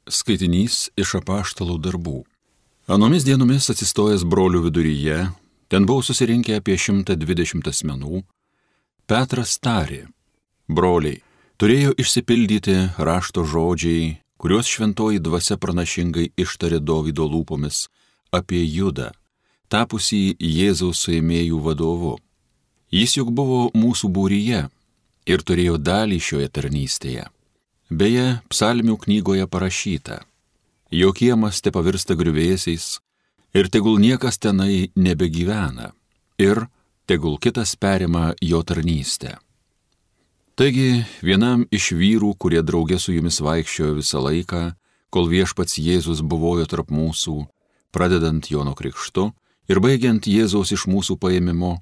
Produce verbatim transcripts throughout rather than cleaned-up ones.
Skaitinys iš apaštalų darbų. Anomis dienomis atsistojęs brolių viduryje, ten buvo susirinkę apie šimtą dvidešimt asmenų, Petras tarė: broliai, turėjo išsipildyti rašto žodžiai, kuriuos šventoji dvasia pranašingai ištarė Dovydo lūpomis apie Judą, tapusį Jėzaus suėmėjų vadovu. Jis juk buvo mūsų būryje ir turėjo dalį šioje tarnystėje. Beje, psalmių knygoje parašyta: jo kiemas te pavirsta griuvėsiais ir tegul niekas tenai nebegyvena ir tegul kitas perima jo tarnystę. Taigi, vienam iš vyrų, kurie draugė su jumis vaikščiojo visą laiką, kol viešpats Jėzus buvojo tarp mūsų, pradedant Jono krikštu ir baigiant Jėzaus iš mūsų paėmimo,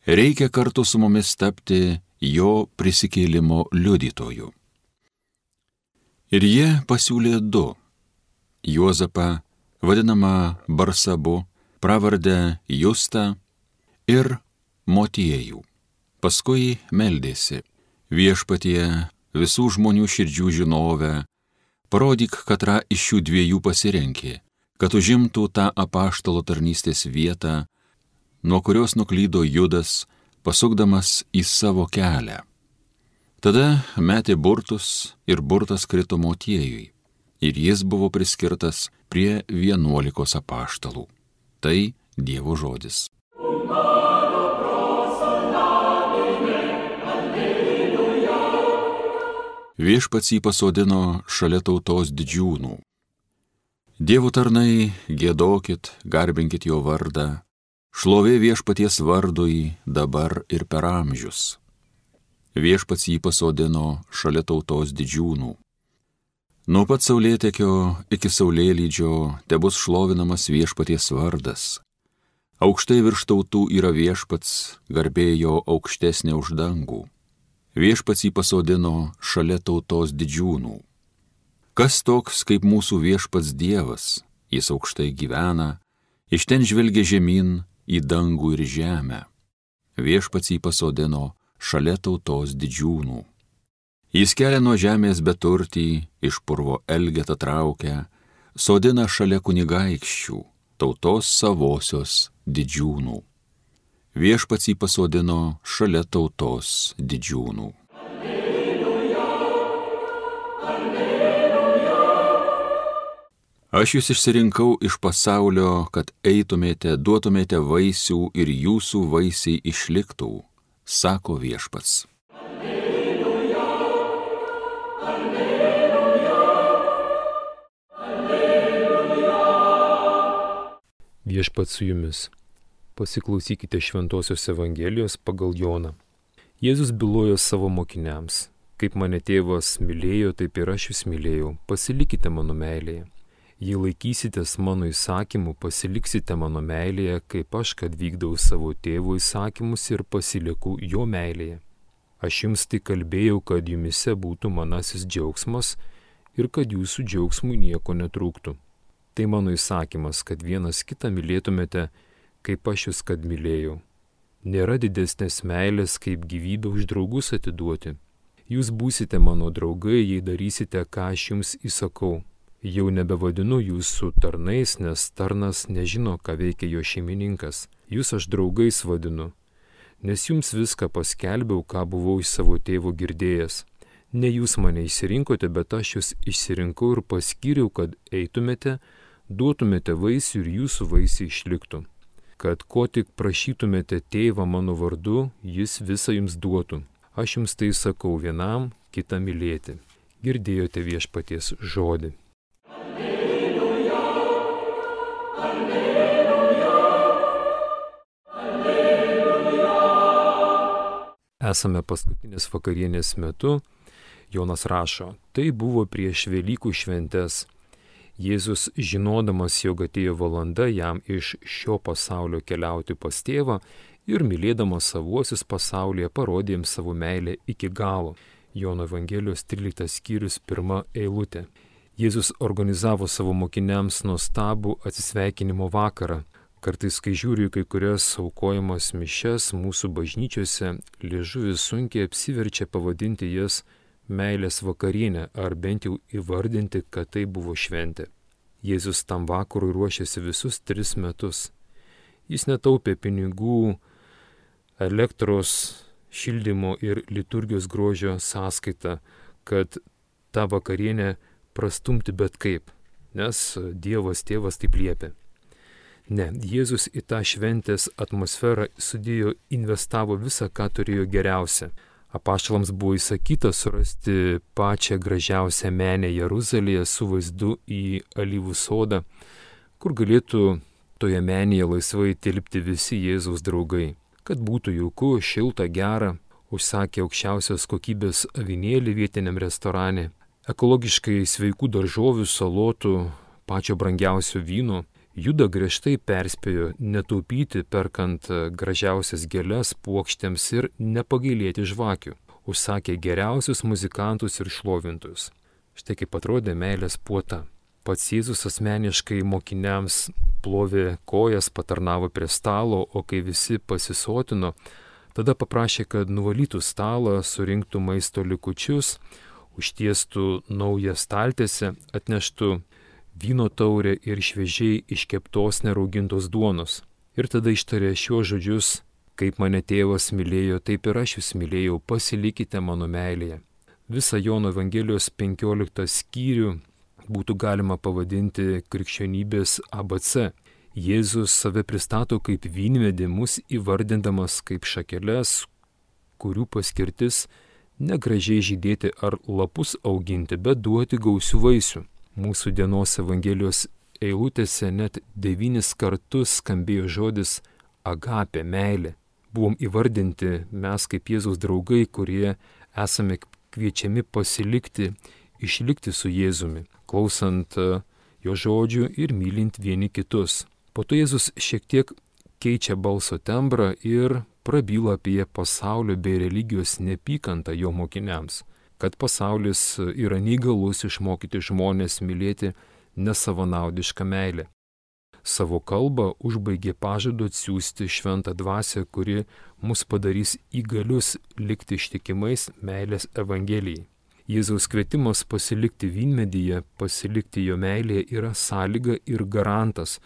reikia kartu su mumis tapti jo prisikėlimo liudytoju. Ir jie pasiūlė du – Juozapą, vadinamą Barsabu, pravardę Justą, ir Motiejų. Paskui meldėsi: viešpatie, visų žmonių širdžių žinovę, parodyk, katrą iš šių dviejų pasirenki, kad užimtų tą apaštalo tarnystės vietą, nuo kurios nuklydo Judas, pasukdamas į savo kelią. Tada metė burtus ir burtas krito Motiejui, ir jis buvo priskirtas prie vienuolikos apaštalų. Tai Dievo žodis. Viešpats jį pasodino šalia tautos didžiūnų. Dievo tarnai, giedokit, garbinkit jo vardą, šlovė viešpaties vardui dabar ir per amžius. Viešpats jį pasodino šalia tautos didžiūnų. Nuo pat saulėtekio iki saulėlydžio tebus šlovinamas viešpaties vardas. Aukštai virš tautų yra viešpats, garbė jo aukštesnė už dangų. Viešpats jį pasodino šalia tautos didžiūnų. Kas toks kaip mūsų viešpats Dievas? Jis aukštai gyvena, iš ten žvelgia žemyn į dangų ir žemę. Viešpats jį pasodino šalia tautos didžiūnų. Jis kelia nuo žemės beturtį, iš purvo elgetą traukia, sodina šalia kunigaikščių, tautos savosios didžiūnų. Viešpats jį pasodino šalia tautos didžiūnų. Alleluja, alleluja. Aš jūs išsirinkau iš pasaulio, kad eitumėte, duotumėte vaisių ir jūsų vaisiai išliktų, sako viešpats. Alleluja, alleluja, alleluja. Viešpats su jumis. Pasiklausykite Šventosios Evangelijos pagal Joną. Jėzus bylojo savo mokiniams: kaip mane tėvas mylėjo, taip ir aš jūs mylėjau, pasilikite mano meilėje. Jei laikysitės mano įsakymų, pasiliksite mano meilėje, kaip aš, kad vykdau savo tėvo įsakymus ir pasilieku jo meilėje. Aš jums tai kalbėjau, kad jumise būtų manasis džiaugsmas ir kad jūsų džiaugsmui nieko netrūktų. Tai mano įsakymas, kad vienas kitą mylėtumėte, kaip aš jūs kad mylėjau. Nėra didesnės meilės, kaip gyvybę už draugus atiduoti. Jūs būsite mano draugai, jei darysite, ką aš jums įsakau. Jau nebevadinu jūsų tarnais, nes tarnas nežino, ką veikia jo šeimininkas. Jūs aš draugais vadinu, nes jums viską paskelbiau, ką buvau iš savo tėvo girdėjęs. Ne jūs mane išsirinkote, bet aš jūs išsirinkau ir paskyriau, kad eitumėte, duotumėte vaisių ir jūsų vaisiai išliktų. Kad ko tik prašytumėte tėvą mano vardu, jis visą jums duotų. Aš jums tai sakau vienam, kitą mylėti. Girdėjote viešpaties žodį. Alleluja, alleluja, alleluja. Esame paskutinės vakarienės metu. Jonas rašo: tai buvo prieš Velykų šventes. Jėzus, žinodamas, jog atėjo valanda jam iš šio pasaulio keliauti pas tėvą ir mylėdamas savuosius pasaulyje, parodė jiems savo meilę iki galo. Jono Evangelijos tryliktas skyrius, pirma eilutė. Jėzus organizavo savo mokiniams nuostabų atsisveikinimo vakarą. Kartais, kai žiūriu kai kurias aukojamas mišias mūsų bažnyčiose, liežuvis sunkiai apsiverčia pavadinti jas meilės vakarienę, ar bent jau įvardinti, kad tai buvo šventė. Jėzus tam vakarui ruošėsi visus tris metus. Jis netaupė pinigų elektros, šildymo ir liturgijos grožio sąskaitą, kad tą vakarienę prastumti bet kaip, nes Dievas tėvas taip liepė. Ne, Jėzus į tą šventės atmosferą sudėjo, investavo visą, ką turėjo geriausia. Apaštalams buvo įsakyta surasti pačią gražiausią menę Jeruzalėje su vaizdu į alyvų sodą, kur galėtų toje menėje laisvai tilpti visi Jėzaus draugai. Kad būtų jauku, šilta, gera, užsakė aukščiausios kokybės avinėlį vietiniam restorane, ekologiškai sveikų daržovių, salotų, pačio brangiausio vyno. Juda griežtai perspėjo netaupyti, perkant gražiausias gėles puokštėms ir nepagailėti žvakių. Užsakė geriausius muzikantus ir šlovintus. Štai kaip atrodė meilės puota. Pats Jėzus asmeniškai mokiniams plovė kojas, patarnavo prie stalo, o kai visi pasisotino, tada paprašė, kad nuvalytų stalą, surinktų maisto likučius, užtiestų naują staltiesę, atneštų vyno taurę ir šviežiai iškeptos neraugintos duonos. Ir tada ištarė šiuos žodžius: kaip mane tėvas mylėjo, taip ir aš jūs mylėjau, pasilikite mano meilėje. Visą Jono Evangelijos penkioliktą skyrių būtų galima pavadinti krikščionybės A B C. Jėzus save pristato kaip vynmedį, mus įvardindamas kaip šakeles, kurių paskirtis negražiai žydėti ar lapus auginti, bet duoti gausių vaisių. Mūsų dienos Evangelijos eilutėse net devynis kartus skambėjo žodis agapė, meilė. Buvom įvardinti mes kaip Jėzaus draugai, kurie esame kviečiami pasilikti, išlikti su Jėzumi, klausant jo žodžių ir mylint vieni kitus. Po to Jėzus šiek tiek keičia balso tembrą ir prabyla apie pasaulio bei religijos neapykantą jo mokiniams, kad pasaulis yra neįgalus išmokyti žmonės mylėti nesavanaudišką meilę. Savo kalbą užbaigė pažadu atsiųsti šventą dvasią, kuri mus padarys įgalius likti ištikimais meilės Evangelijai. Jėzaus kvietimas pasilikti vynmedyje, pasilikti jo meilėje yra sąlyga ir garantas,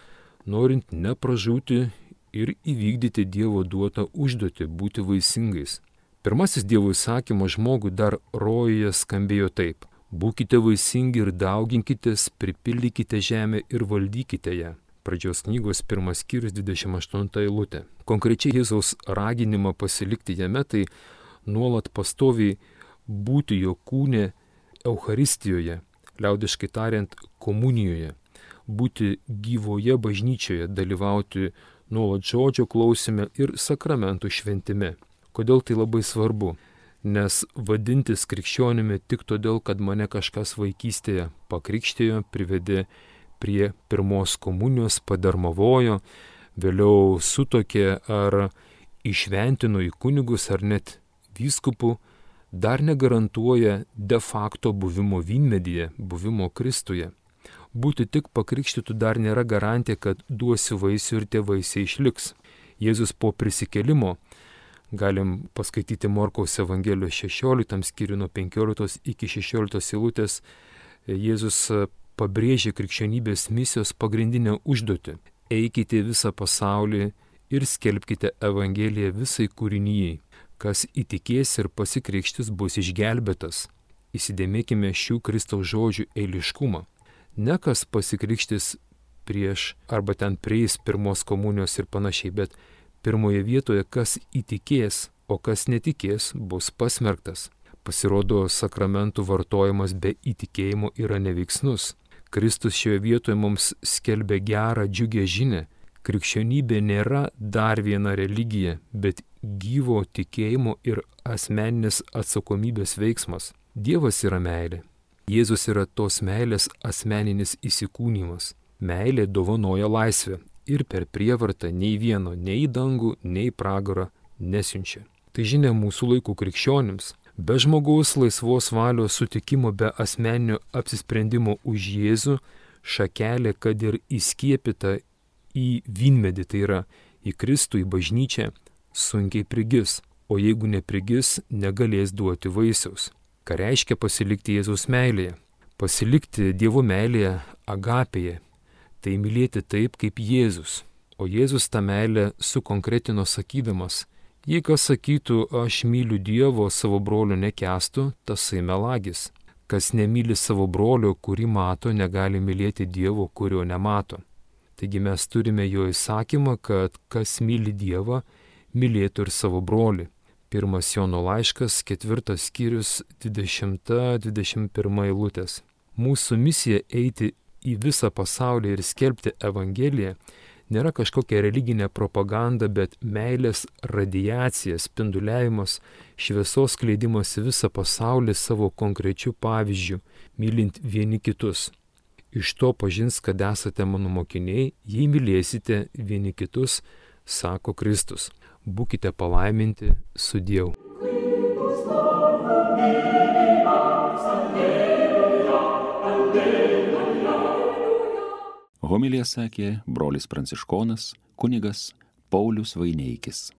norint nepražūti ir įvykdyti Dievo duotą užduotį būti vaisingais. Pirmasis Dievo įsakymas žmogui dar rojuje skambėjo taip: būkite vaisingi ir dauginkitės, pripildykite žemę ir valdykite ją. Pradžios knygos pirmas skyrius dvidešimt aštunta eilutė. Konkrečiai Jėzaus raginimą pasilikti jame tai nuolat pastoviai būti jo kūne Eucharistijoje, liaudiškai tariant komunijoje, būti gyvoje bažnyčioje, dalyvauti nuolat žodžio klausime ir sakramentų šventime. Kodėl tai labai svarbu? Nes vadintis krikščionimi tik todėl, kad mane kažkas vaikystėje pakrikštėjo, privedė prie pirmos komunijos, padarmavojo, vėliau sutokė ar išventino į kunigus ar net vyskupų, dar negarantuoja de facto buvimo vynmedyje, buvimo Kristuje. Būti tik pakrikštytų dar nėra garantija, kad duosiu vaisių ir tie vaisiai išliks. Jėzus po prisikėlimo, galim paskaityti Morkaus Evangelijos šešioliktam skyriui nuo penkioliktos iki šešioliktos eilutės, Jėzus pabrėžė krikščionybės misijos pagrindinę užduotį. Eikite visą pasaulį ir skelbkite Evangeliją visai kūrinijai. Kas įtikės ir pasikrikštis bus išgelbėtas. Įsidėmėkime šių Kristaus žodžių eiliškumą. Ne kas pasikrikštis prieš arba ten prieis pirmos komunijos ir panašiai, bet pirmoje vietoje kas įtikės, o kas netikės bus pasmerktas. Pasirodo, sakramentų vartojimas be įtikėjimo yra neveiksnus. Kristus šioje vietoje mums skelbia gerą, džiugę žinią. Krikščionybė nėra dar viena religija, bet gyvo tikėjimo ir asmeninės atsakomybės veiksmas. Dievas yra meilė. Jėzus yra tos meilės asmeninis įsikūnymas. Meilė dovanoja laisvę ir per prievartą nei vieno, nei į dangų, nei į pragarą nesiunčia. Tai žinia mūsų laikų krikščionims. Be žmogaus laisvos valios sutikimo, be asmeninio apsisprendimo už Jėzų, šakelė, kad ir įskiepita į vynmedį, tai yra į Kristų, į bažnyčią, sunkiai prigis, o jeigu neprigis, negalės duoti vaisiaus. Ką reiškia pasilikti Jėzaus meilėje? Pasilikti Dievo meilėje, agapėje, tai mylėti taip kaip Jėzus. O Jėzus tą meilę sukonkretino sakydamas, jei kas sakytų, aš myliu Dievo, savo brolio nekęstų, tasai melagis. Kas nemyli savo brolio, kurį mato, negali mylėti Dievo, kurio nemato. Taigi mes turime jo įsakymą, kad kas myli Dievą, mylėtų ir savo brolį. Pirmas Jono laiškas, ketvirtas skyrius, dvidešimta dvidešimt pirma eilutės. Mūsų misija eiti į visą pasaulį ir skelbti Evangeliją nėra kažkokia religinė propaganda, bet meilės radiacija, spinduliavimas, šviesos skleidimas į visą pasaulį savo konkrečių pavyzdžių, mylint vieni kitus. Iš to pažins, kad esate mano mokiniai, jei mylėsite vieni kitus, sako Kristus. Būkite palaiminti sudiev. Homiliją sakė brolis pranciškonas kunigas Paulius Vaineikis.